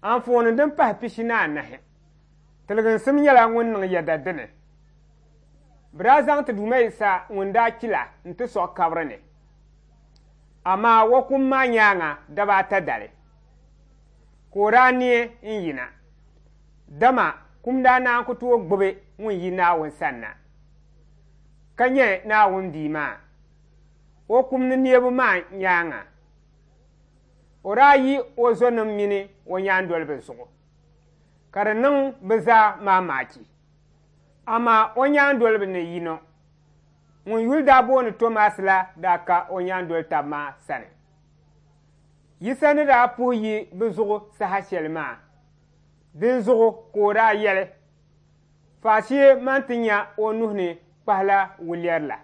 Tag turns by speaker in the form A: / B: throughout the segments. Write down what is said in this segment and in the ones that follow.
A: Anfooni din pahi 44, Tiliginsim nyɛla ŋun niŋ yɛda dini. Bɛ daa zaŋ ti Duuma Yisa ŋun daa kpi la nti sɔɣi kabiri ni. Amaa o kum maa nyaaŋa daba ata dali, ka o daa neei n-yina, dama kum daa naan ku tooi gbibi ŋun yi Naawuni sanna ka nyɛ Naawuni Bia maa o kum ni neebu maa nyaaŋa. O daa yi o zɔnim mini o nyaandoliba zuɣu, ka di niŋ bɛ zaa maamaaki. Amaa o nyaandoliba ni yino ŋun yuli daa booni Tomas la daa ka o nyaandoli tab maa sani. Yisa ni daa puhi yi bɛ zuɣu saha shɛli maa, dinzuɣu ka o daa yɛli, Faashee man ti nya o nuhi ni kpahila wuliɛri la,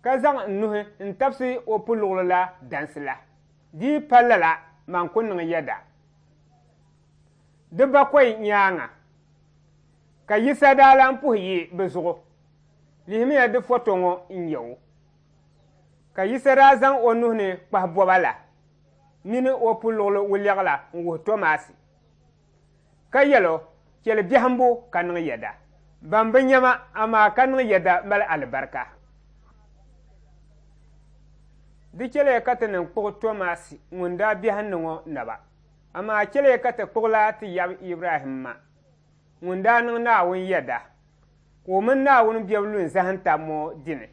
A: ka zaŋ n nuhi n-tabisi o puluɣili la dansi la. Di yi pa lala, man ku niŋ yɛda. Di bakɔi nyaaŋa ka Yisa daa lan puhi yi bɛ zuɣu. Lihimiya di foto ŋɔ n-nyɛ o. Ka Yisa daa zaŋ o nuhi ni kpahi bɔba la mini o puluɣili wuliɛɣu la n-wuhi Tomasi, ka yɛl o, Chɛli biɛhimbu ka niŋ yɛda. Ban bi nya ma, amaa ka niŋ yɛda mali alibarika. Di chɛliya ka ti niŋ kpuɣi Tomasi ŋun daa biɛhindi ŋɔ naba, amaa chɛliya ka ti kpuɣila ti yab Ibrahimma ŋun daa niŋ Naawuni yɛda, ka o mini Naawuni bebu lu n-zahim tab ŋɔ dini.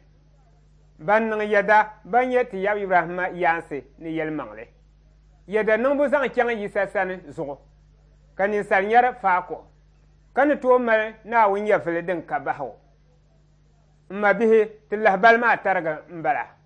A: Ban niŋ yɛda ban nyɛ ti yab Ibrahimma yaansi ni yɛlimaŋli yɛda niŋbu zaŋ chaŋ Yisa sani zuɣu, ka ninsal nyari faako, ka ni tooi mali Naawuni nyɛvili din ka bahigu. M mabihi, ti lahibali maa tariga m-bala.